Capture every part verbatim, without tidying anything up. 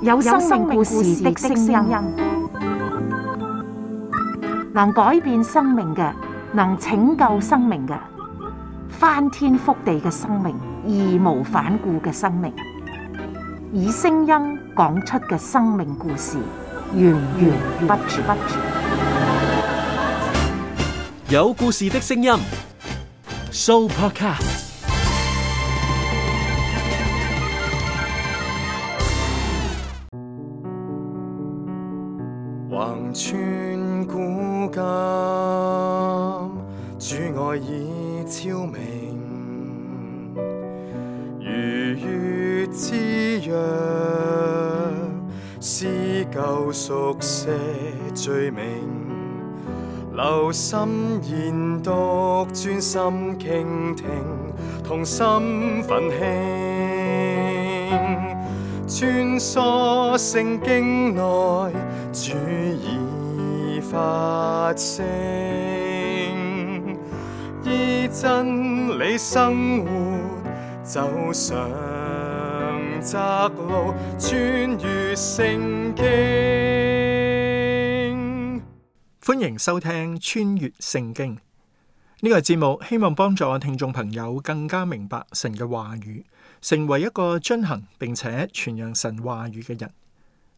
有生命故事的聲音，能改變生命嘅，能拯救生命嘅，翻天覆地嘅生命，義無反顧嘅生命，以聲音講出嘅生命故事，源源不絕。有故事的聲音 ，Sooopodcast。橫穿古今，主愛已超明，如月之約，撕舊熟寫罪名，留心研讀，專心傾聽，同心奮興，穿梭聖經內，主已發聲，依真理生活，走上窄路，穿越聖經。歡迎收聽穿越聖經呢個節目，希望幫助聽眾朋友更加明白神嘅話語，成為一個遵行並且傳揚神話語嘅人。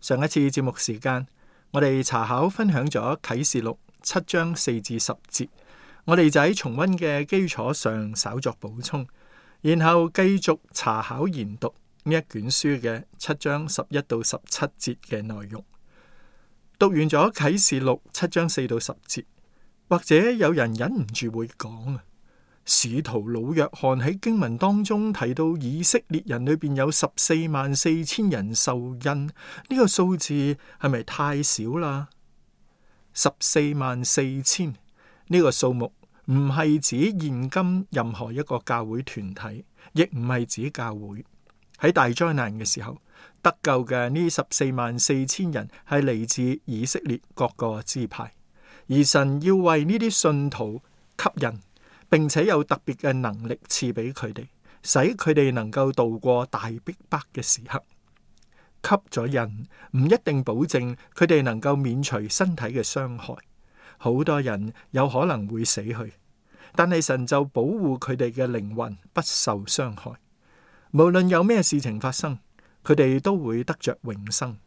上一次節目時間，我哋查考分享咗啟示錄七章四至十節，我哋就喺重溫嘅基礎上稍作補充，然後繼續查考研讀呢一卷書嘅七章十一到十七節嘅內容。讀完咗啟示錄七章四到十節，或者有人忍唔住會講啊，使徒老約翰喺經文當中提到以色列人裏邊有十四萬四千人受印，呢個數字係咪太少啦？十四萬四千呢個數目唔係指現今任何一個教會團體，亦唔係指教會。喺大災難嘅時候，得救嘅呢十四萬四千人係嚟自以色列各個支派，而神要為呢啲信徒吸引，並且有特別嘅能力賜俾佢哋，使佢哋能夠度過大逼迫嘅時刻。吸咗人唔一定保證佢哋能夠免除身體嘅傷害，好多人有可能會死去，但係神就保護佢哋嘅靈魂不受傷害。無論有咩事情發生，佢哋都會得着永生。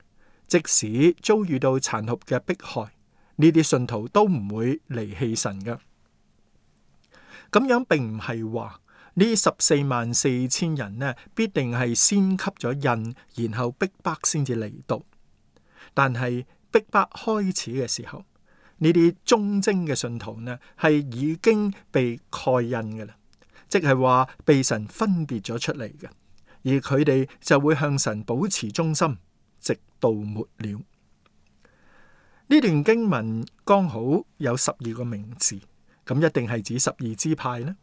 即使遭遇到殘酷嘅迫害，呢啲信徒都唔會離棄神嘅。咁樣並唔係話呢十四萬四千人呢，必定係先吸咗印，然後逼迫先至嚟到。但係逼迫開始嘅時候，呢啲忠貞嘅信徒呢，係已經被蓋印嘅啦，即係話被神分別咗出嚟嘅，而佢哋就會向神保持忠心，直到末了。呢段經文剛好有十二個名字。咁一定係指十二支派呢？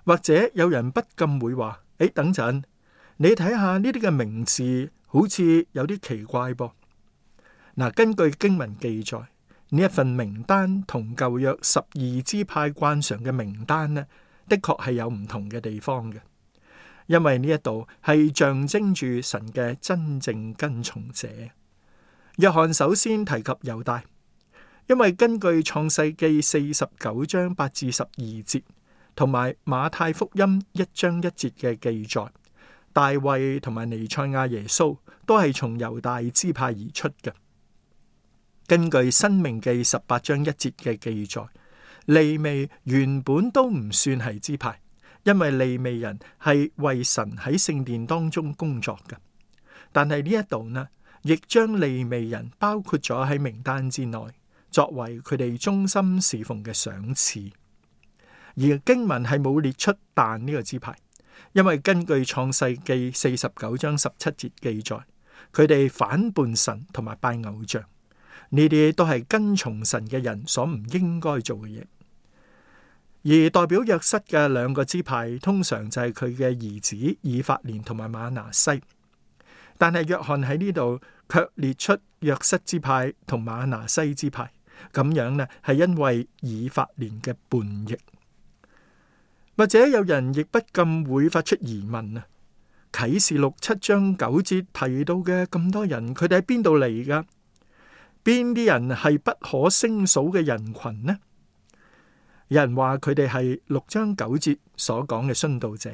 或者有人不禁會話：誒，等陣，你睇下呢啲嘅名字，好似有啲奇怪噃。嗱，根據經文記載，呢一份名單同舊約十二支派慣常嘅名單呢，的確係有唔同嘅地方嘅。因為呢一度係象徵住神嘅真正跟從者。約翰首先提及猶大。因為根據創世記四十九章八至十二節，同埋馬太福音一章一節嘅記載，大衛同埋彌賽亞耶穌都係從猶大支派而出嘅。根據申命記十八章一節嘅記載，利未原本都唔算係支派，因為利未人係為神喺聖殿當中工作嘅。但係呢一度呢，亦將利未人包括咗喺名單之內，作為佢哋忠心侍奉嘅賞賜。而經文係冇列出但呢個支派，因為根據創世記四十九章十七節記載，佢哋反叛神同埋拜偶像，呢啲都係跟從神嘅人所唔應該做嘅嘢。而代表約瑟嘅兩個支派，通常就係佢嘅兒子以法蓮同埋瑪拿西。但係約翰喺呢度卻列出約瑟支派同瑪拿西支派。咁樣呢，係因為以法蓮嘅叛逆。或者有人亦不禁會發出疑問啊，啟示錄七章九節提到嘅咁多人，佢哋喺邊度嚟噶？邊啲人係不可勝數嘅人群呢？有人話佢哋係六章九節所講嘅殉道者，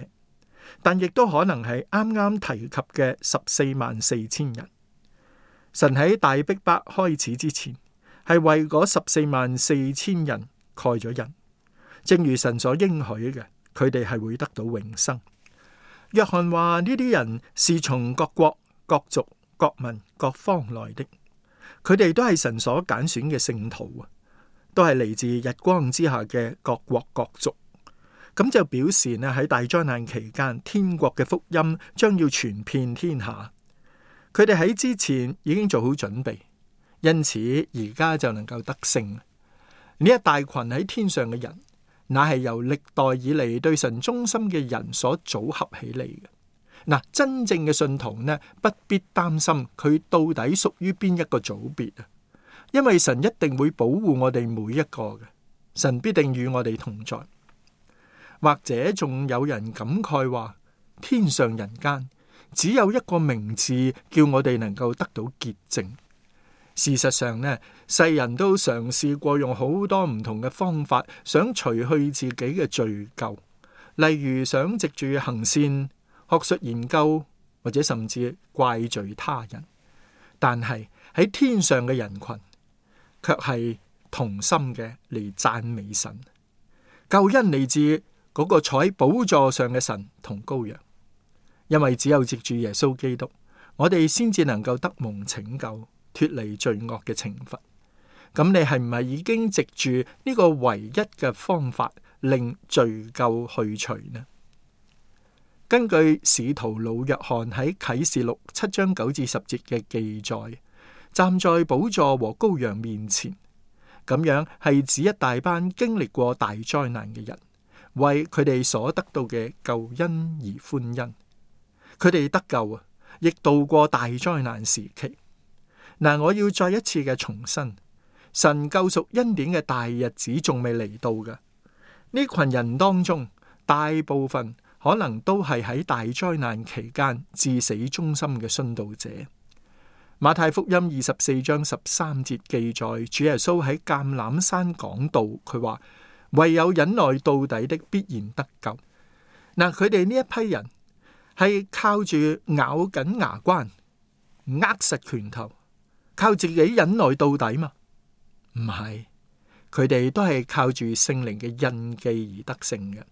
但亦都可能係啱啱提及嘅十四萬四千人。神喺大逼迫開始之前，係為嗰十四萬四千人蓋咗印，正如神所應許嘅，佢哋係會得到永生。約翰話呢啲人是從各國、各族、各民、各方來的，佢哋都係神所揀選嘅聖徒啊，都係嚟自日光之下嘅各國各族。咁就表示呢，喺大災難期間，天國嘅福音將要傳遍天下。佢哋喺之前已經做好準備，因此而家就能夠得勝。呢一大群喺天上嘅人，乃係由歷代以嚟對神忠心嘅人所組合起嚟嘅。嗱，真正嘅信徒呢，不必擔心佢到底屬於邊一個組別啊，因為神一定會保護我哋每一個嘅，神必定與我哋同在。或者仲有人感慨話，天上人間只有一個名字，叫我哋能夠得到潔淨。事實上呢，世人都嘗試過用好多唔同嘅方法，想除去自己嘅罪咎，例如想藉住行善、學術研究，或者甚至怪罪他人。但係喺天上嘅人群，卻係同心嘅嚟讚美神。救恩嚟自嗰個坐喺寶座上嘅神同羔羊，因為只有藉住耶穌基督，我哋先至能夠得蒙拯救，脫離罪惡嘅懲罰。咁你係唔係已經藉住呢個唯一嘅方法令罪咎去除呢？根據使徒老約翰喺啟示錄七章九至十節嘅記載，站在寶座和羔羊面前，咁樣係指一大班經歷過大災難嘅人，為佢哋所得到嘅救恩而歡欣。佢哋得救啊，亦度過大災難時期。嗱，我要再一次嘅重申，神救贖恩典嘅大日子仲未嚟到嘅。呢群人當中，大部分可能都係喺大災難期間至死忠心嘅殉道者。馬太福音二十四章十三節記載，主耶穌喺橄欖山講道，佢話唯有忍耐到底的必然得救。嗱，佢哋呢一批人係靠住咬緊牙關、握實拳頭，靠自己忍耐到底嘛？唔係，佢哋都係靠住聖靈嘅印記而得勝嘅。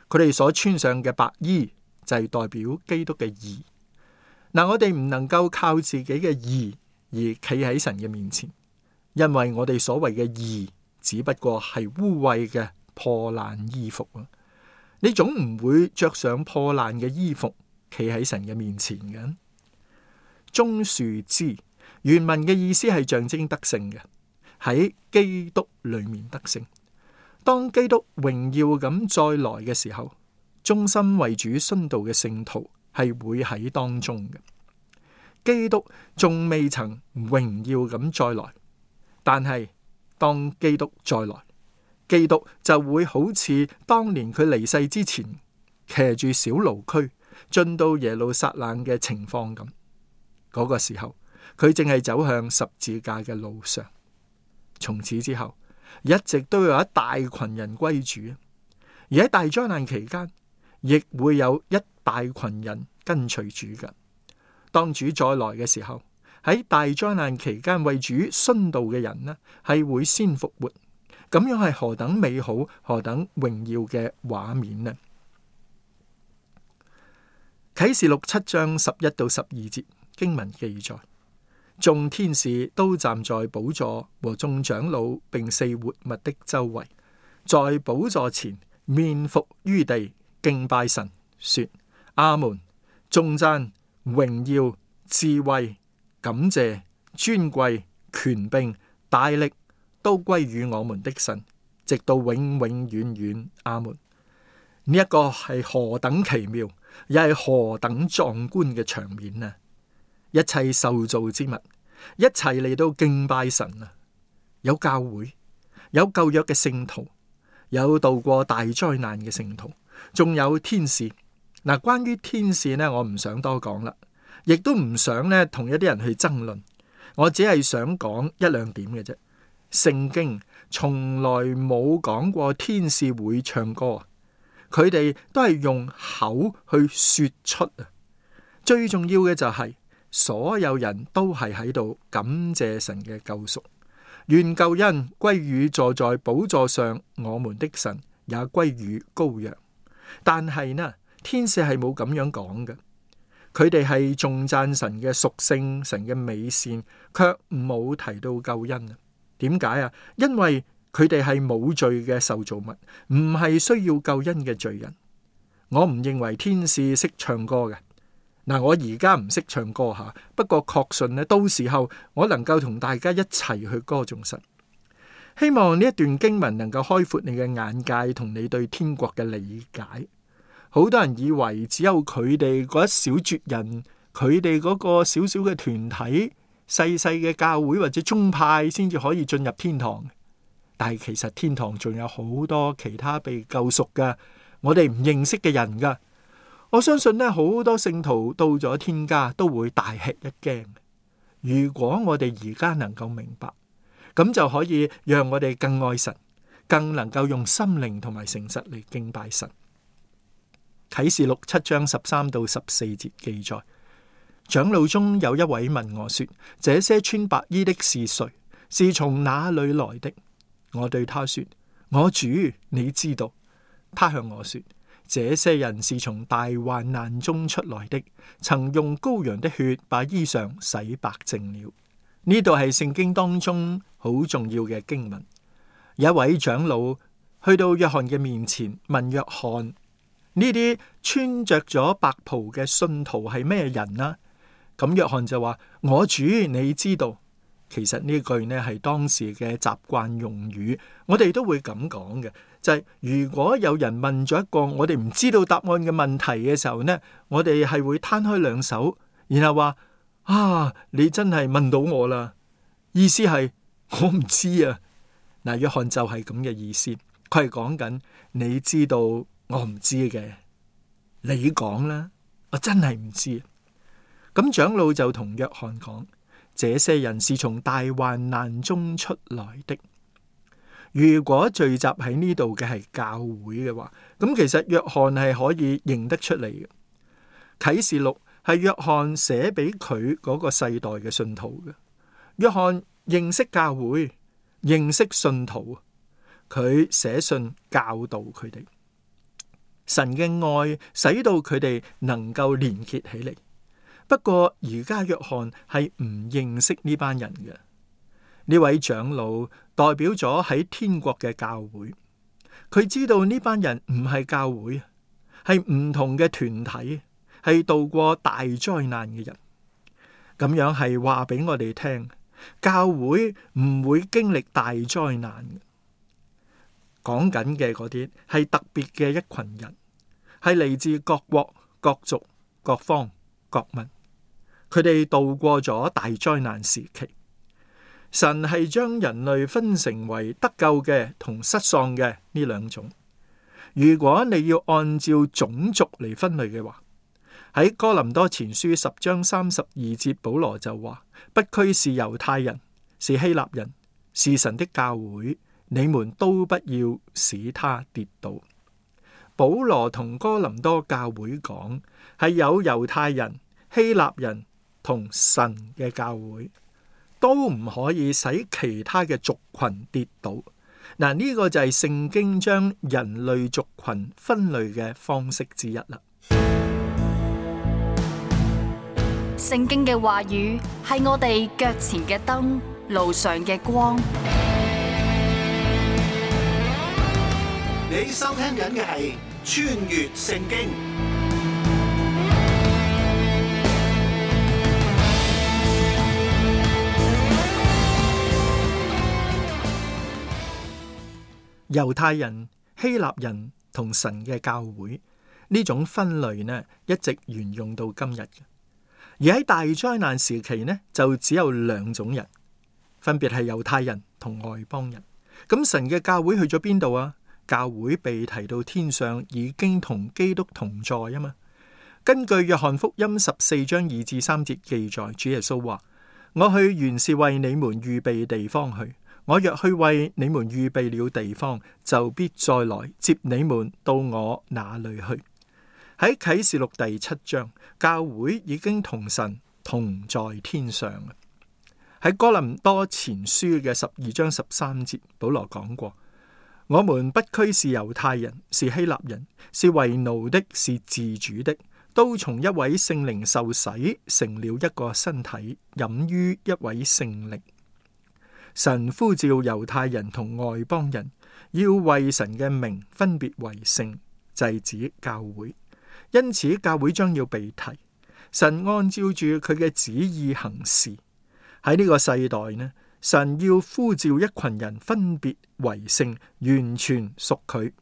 佢哋所穿上嘅白衣就係代表基督嘅義。嗱，我哋唔能夠靠自己嘅義而企喺神嘅面前，因為我哋所謂嘅義只不過係污穢嘅破爛衣服啊！你總唔會着上破爛嘅衣服企喺神嘅面前嘅。棕樹枝原文嘅意思係象徵得勝嘅，喺基督裏面得勝。當基督榮耀咁再來嘅時候，忠心為主殉道嘅聖徒係會喺當中嘅。基督仲未曾榮耀咁再來，但係當基督再來，基督就會好似當年佢離世之前騎住小驢駒進到耶路撒冷嘅情況咁。嗰個時候，佢正係走向十字架嘅路上。從此之後，一直都有一大群人歸主，而喺大災難期間，亦會有一大群人跟隨主嘅。當主再來嘅時候，喺大災難期間為主殉道嘅人呢，係會先復活。咁樣係何等美好、何等榮耀嘅畫面呢？啟示錄七章十一到十二節經文記載，眾天使都站在寶座和眾長老並四活物的周圍，在寶座前面伏於地敬拜神，說：阿門！頌讚、榮耀、智慧、感謝、尊貴、權柄、大力，都歸於我們的神，直到永永遠遠。阿門。呢一個係何等奇妙，又係何等壯觀嘅場面啊！一切受造之物一齊嚟到敬拜神啊！有教會，有舊約嘅聖徒，有度過大災難嘅聖徒，仲有天使，嗱，關於天使呢，我唔想多講啦，亦都唔想呢同一啲人去爭論。我只係想講一兩點嘅啫。聖經從來冇講過天使會唱歌，佢哋都係用口去說出啊。最重要嘅就係所有人都係喺度感謝神嘅救贖，願救恩歸於坐在寶座上我們的神，也歸於羔羊。但係呢，天使係冇咁樣講嘅，佢哋係頌讚神嘅屬性、神嘅美善，卻冇提到救恩啊。點解啊？因為佢哋係冇罪嘅受造物，唔係需要救恩嘅罪人。我唔認為天使識唱歌嘅。嗱，我而家唔識唱歌吓，不過確信咧，到時候我能夠同大家一齊去歌頌神。希望呢一段經文能夠開闊你嘅眼界，同你對天國嘅理解。好多人以為只有佢哋嗰一小撮人，佢哋嗰個小小嘅團體、細細嘅教會或者宗派先至可以進入天堂。但係其實天堂仲有好多其他被救贖嘅，我哋唔認識嘅人噶。我相信呢，好多聖徒到咗天家都會大吃一驚。如果我哋而家能夠明白，咁就可以讓我哋更愛神，更能夠用心靈同埋誠實嚟敬拜神。啟示錄七章十三到十四節記載，長老中有一位問我說：這些穿白衣的是誰？是從哪裏來的？我對他說：我主，你知道。他向我說：這些人是從大患難中出來的，曾用羔羊的血把衣裳洗白淨了。呢度係聖經當中好重要嘅經文。有一位長老去到約翰嘅面前問約翰：呢啲穿着咗白袍嘅信徒係咩人啊？咁約翰就話：我主，你知道。其實呢句呢係當時嘅習慣用語，我哋都會咁講嘅，就係如果有人問咗一個我哋唔知道答案嘅問題嘅時候呢，我哋係會攤開兩手，然後話：啊，你真係問到我啦！意思係我唔知啊。嗱，約翰就係咁嘅意思，佢係講緊你知道我唔知嘅，你講啦，我真係唔知。咁長老就同約翰講：這些人是從大患難中出來的。如果聚集喺呢度嘅係教會嘅話，咁其實約翰係可以認得出嚟嘅。啟示錄係約翰寫俾佢嗰個世代嘅信徒嘅。約翰認識教會，認識信徒，佢寫信教導佢哋。神嘅愛使到佢哋能夠連結起嚟。不過而家約翰係唔認識呢班人嘅。呢位長老代表咗喺天國嘅教會，佢知道呢班人唔係教會，係唔同嘅團體，係度過大災難嘅人。咁樣係話俾我哋聽，教會唔會經歷大災難嘅。講緊嘅嗰啲係特別嘅一群人，係嚟自各國、各族、各方、各民。佢哋度過咗大災難時期，神係將人類分成為得救嘅同失喪嘅呢兩種。如果你要按照種族嚟分類嘅話，喺哥林多前書十章三十二節，保羅就話：不拘是猶太人，是希臘人，是神的教會，你們都不要使他跌倒。保羅同哥林多教會講，係有猶太人、希臘人同神嘅教會，都唔可以使其他嘅族群跌倒。嗱，呢個就係聖經將人類族群分類嘅方式之一啦。聖經嘅話語係我哋腳前嘅燈，路上嘅光。你收聽緊嘅係穿越聖經。猶太人、希臘人同神嘅教會呢種分類呢，一直沿用到今日嘅。而喺大災難時期呢，就只有兩種人，分別係猶太人同外邦人。咁神嘅教會去咗邊度啊？教會被提到天上，已經同基督同在啊嘛。根據約翰福音十四章二至三節記載，主耶穌話：我去原是為你們預備地方去。我若去為你們預備了地方，就必再來接你們到我那裏去。喺啟示錄第七章，教會已經同神同在天上。喺哥林多前書嘅十二章十三節，保羅講過：我們不拘是猶太人，是希臘人，是為奴的，是自主的，都從一位聖靈受洗，成了一個身體，飲於一位聖靈。神呼召猶太人同外邦人，要為神嘅名分別為聖，就係指教會。因此教會將要被提。神按照住佢嘅旨意行事。喺呢個世代呢，神要呼召一群人分別為聖，完全屬佢。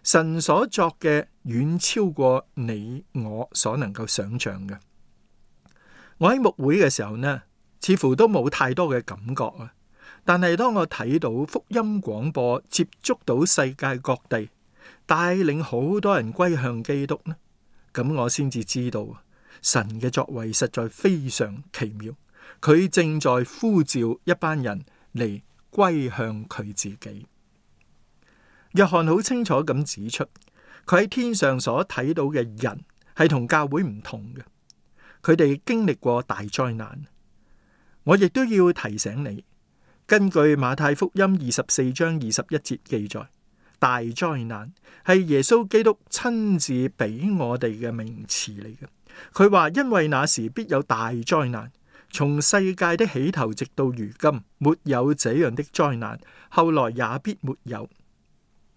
神所作嘅遠超過你我所能夠想象嘅。我喺牧會嘅時候呢，似乎都冇太多嘅感覺啊。但係當我睇到福音廣播接觸到世界各地，帶領好多人歸向基督呢，咁我先至知道神嘅作為實在非常奇妙。佢正在呼召一班人嚟歸向佢自己。約翰好清楚咁指出，佢喺天上所睇到嘅人係同教會唔同嘅，佢哋經歷過大災難。我亦都要提醒你，根據馬太福音二十四章二十一節記載，大災難係耶穌基督親自俾我哋嘅名詞嚟嘅。佢話：因為那時必有大災難，從世界的起頭直到如今，沒有這樣的災難，後來也必沒有。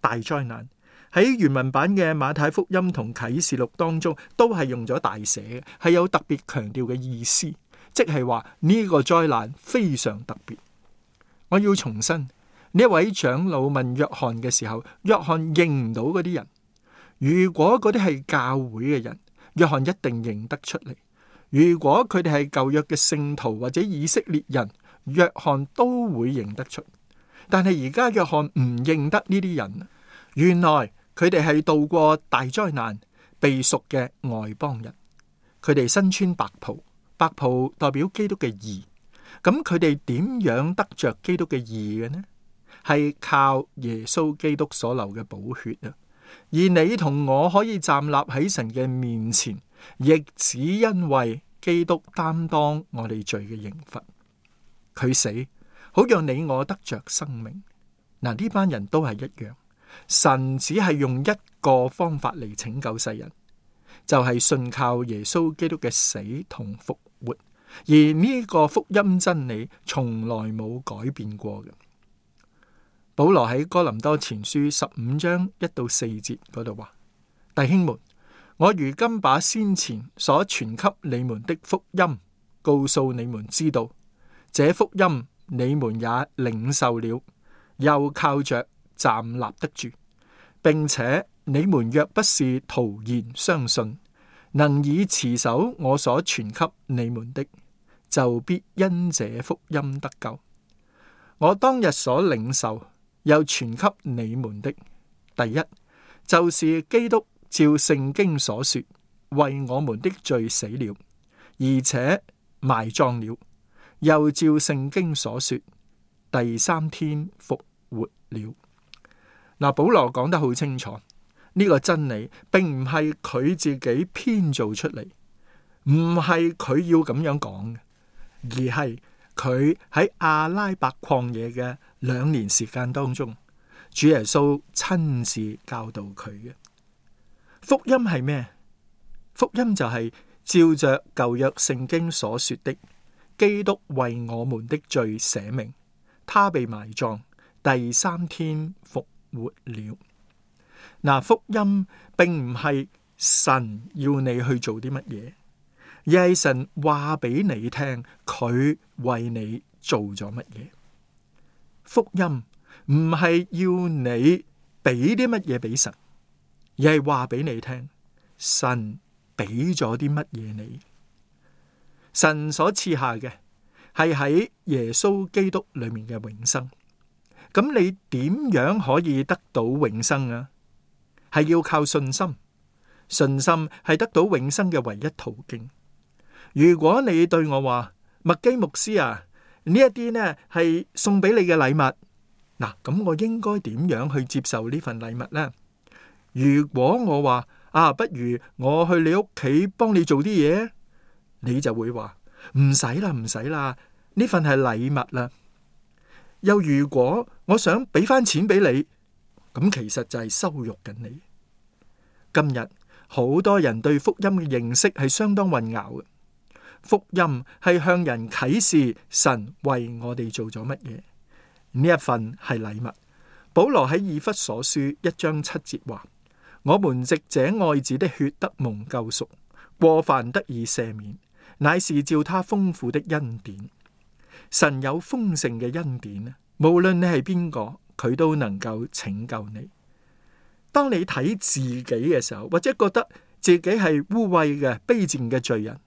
大災難喺原文版嘅馬太福音同啟示錄當中都係用咗大寫嘅，係有特別強調嘅意思，即係話呢個災難非常特別。我要重申，呢一位長老問約翰嘅時候，約翰認唔到嗰啲人。如果嗰啲係教會嘅人，約翰一定認得出嚟。如果佢哋係舊約嘅聖徒或者以色列人，約翰都會認得出。但係而家約翰唔認得呢啲人，原來佢哋係度過大災難被贖嘅外邦人。佢哋身穿白袍，白袍代表基督嘅義。咁佢哋點樣得着基督嘅義嘅呢？係靠耶穌基督所流嘅寶血啊！而你同我可以站立喺神嘅面前，亦只因為基督擔當我哋罪嘅刑罰，佢死好讓你我得着生命。嗱，呢班人都係一樣，神只係用一個方法嚟拯救世人，就係信靠耶穌基督嘅死同復活。而呢個福音真理從來冇改變過嘅。保羅喺哥林多前書十五章一到四節嗰度話：弟兄們，我如今把先前所傳給你們的福音告訴你們知道，這福音你們也領受了，又靠着站立得住，並且你們若不是徒然相信，能以持守我所傳給你們的，就必因這福音得救。我當日所領受又傳給你們的，第一就是基督照聖經所說，為我們的罪死了，而且埋葬了，又照聖經所說，第三天復活了。嗱，保羅講得好清楚，呢個真理並唔係佢自己編造出嚟，唔係佢要咁樣講嘅，而係佢喺阿拉伯曠野嘅兩年時間當中，主耶穌親自教導佢嘅。福音係咩？福音就係照着舊約聖經所說的，基督為我們的罪捨命，他被埋葬，第三天復活了。嗱，福音並唔係神要你去做啲乜嘢，而係神話俾你聽，佢為你做咗乜嘢。福音唔係要你俾啲乜嘢俾神，而係話俾你聽，神俾咗啲乜嘢你。神所賜下嘅係喺耶穌基督裏面嘅永生。咁你點樣可以得到永生啊？係要靠信心，信心係得到永生嘅唯一途徑。如果你對我話，麥基牧師啊，呢一啲呢係送俾你嘅禮物，嗱，咁我應該點樣去接受呢份禮物呢？如果我話啊，不如我去你屋企幫你做啲嘢，你就會話唔使啦，唔使啦，呢份係禮物啦。又如果我想俾翻錢俾你，咁其實就係羞辱緊你。今日好多人對福音嘅認識係相當混淆嘅。福音係向人啟示神為我哋做咗乜嘢，呢一份係禮物。保羅喺以弗所書一章七節話：我們藉這愛子的血得蒙救贖，過犯得以赦免，乃是照他豐富的恩典。神有豐盛嘅恩典，無論你係邊個，佢都能夠拯救你。當你睇自己嘅時候，或者覺得自己係污穢嘅卑賤嘅罪人，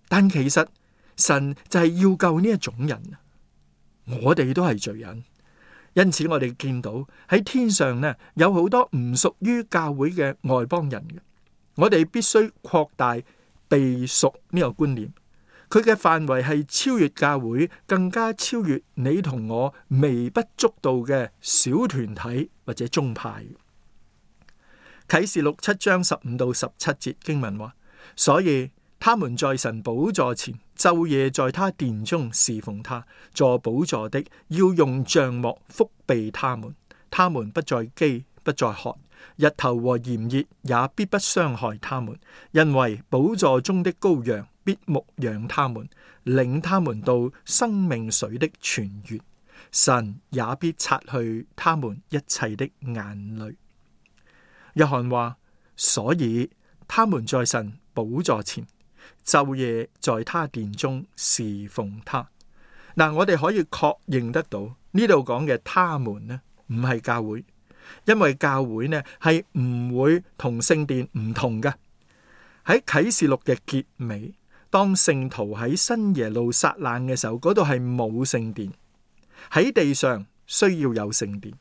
但其實神就係要救呢一種人。我哋都係罪人，因此我哋見到喺天上呢，有好多唔屬於教會嘅外邦人嘅。我哋必須擴大被贖呢個觀念，佢嘅範圍係超越教會，更加超越你同我微不足道嘅小團體或者宗派。啟示錄七章十五到十七節經文話：所以他們在神寶座前，晝夜在他殿中侍奉他，坐寶座的要用帳幕覆庇他們，他們不再飢，不再渴，日頭和炎熱也必不傷害他們，因為寶座中的羔羊必牧養他們，領他們到生命水的泉源，神也必擦去他們一切的眼淚。約翰話：所以他們在神寶座前，晝夜在他殿中侍奉他。嗱，我哋可以確認得到呢度講嘅他們呢，唔係教會，因為教會呢係唔會同聖殿唔同嘅。喺啟示錄嘅結尾，當聖徒喺新耶路撒冷嘅時候，嗰度係冇聖殿，喺地上需要有聖殿，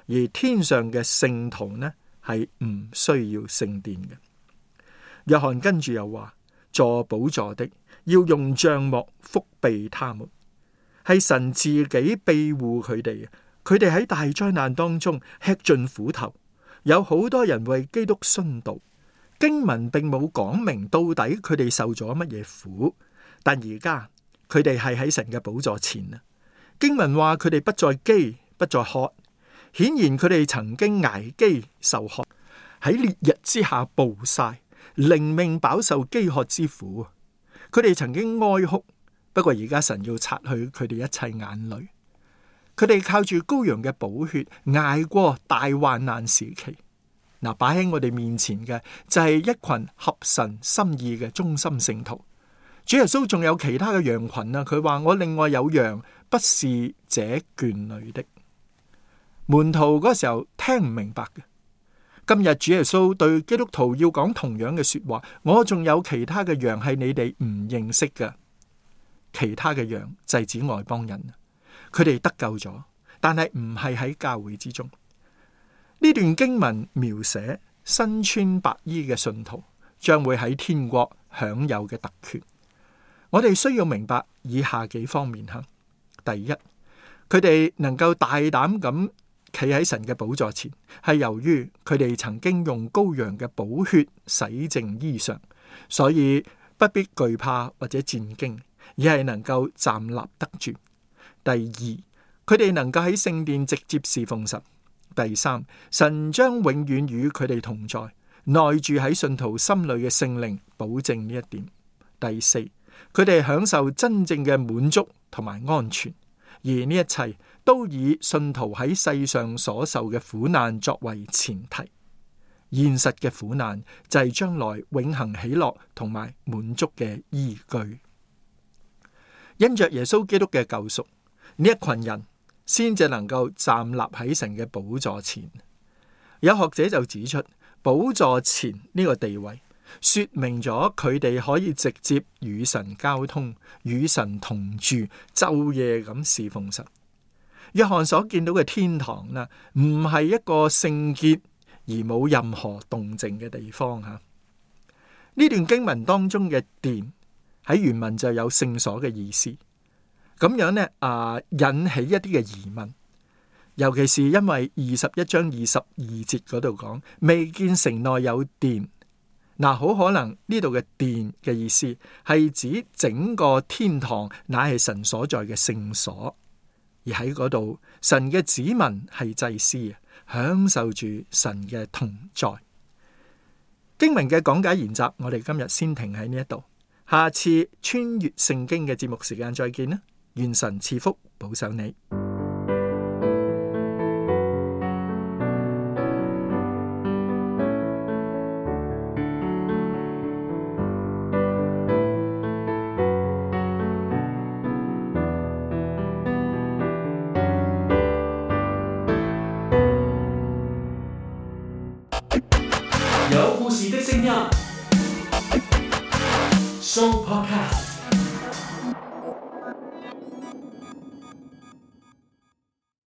而天上嘅聖徒呢係唔需要聖殿嘅。約翰跟住又話：坐寶座的要用帳幕覆庇他們，係神自己庇護佢哋。佢哋喺大災難當中吃盡苦頭，有好多人為基督殉道。經文並冇講明到底佢哋受咗乜嘢苦，但而家佢哋係喺神嘅寶座前啊。經文話佢哋不再飢，不再渴，顯然佢哋曾經挨飢受渴，喺烈日之下暴曬，靈命飽受飢渴之苦。佢哋曾經哀哭，不過而家神要擦去佢哋一切眼淚。佢哋靠住羔羊嘅寶血挨過大患難時期。嗱，擺喺我哋面前嘅就係一群合神心意嘅忠心聖徒。主耶穌仲有其他嘅羊群啊，佢話我另外有羊，不是這圈裏的。門徒嗰時候聽唔明白嘅。今日主耶穌對基督徒要講同樣嘅說話，我仲有其他嘅羊係你哋唔認識嘅。其他嘅羊就係指外邦人，佢哋得救咗，但係唔係喺教會之中。呢段經文描寫身穿白衣嘅信徒將會喺天國享有嘅特權。我哋需要明白以下幾方面吓。第一，佢哋能夠大膽咁企喺神嘅寶座前，係由於佢哋曾經用羔羊嘅寶血洗淨衣裳，所以不必懼怕或者戰驚，而係能夠站立得住。第二，佢哋能夠喺聖殿直接侍奉神。第三，神將永遠與佢哋同在，內住喺信徒心裏嘅聖靈保證呢一點。第四，佢哋享受真正嘅滿足同埋安全，而呢一切都以信徒喺世上所受嘅苦難作為前提。現實嘅苦難就係將來永恆喜樂同埋滿足嘅依據。因着耶穌基督嘅救贖，呢一群人先至能夠站立喺神嘅寶座前。有學者就指出，寶座前呢個地位說明咗佢哋可以直接與神交通，與神同住，晝夜咁侍奉神。約翰所見到嘅天堂呢，唔係一個聖潔而冇任何動靜嘅地方吓，呢段經文當中嘅殿喺原文就有聖所嘅意思，咁樣呢啊引起一啲嘅疑問，尤其是因為二十一章二十二節嗰度講未見城內有殿，嗱，好可能呢度嘅殿嘅意思係指整個天堂乃係神所在嘅聖所，而喺嗰度神嘅子民係祭司，享受住神嘅同在。經文嘅講解研習，我哋今日先停喺呢一度，下次穿越聖經嘅節目時間再見啦！願神賜福保守你。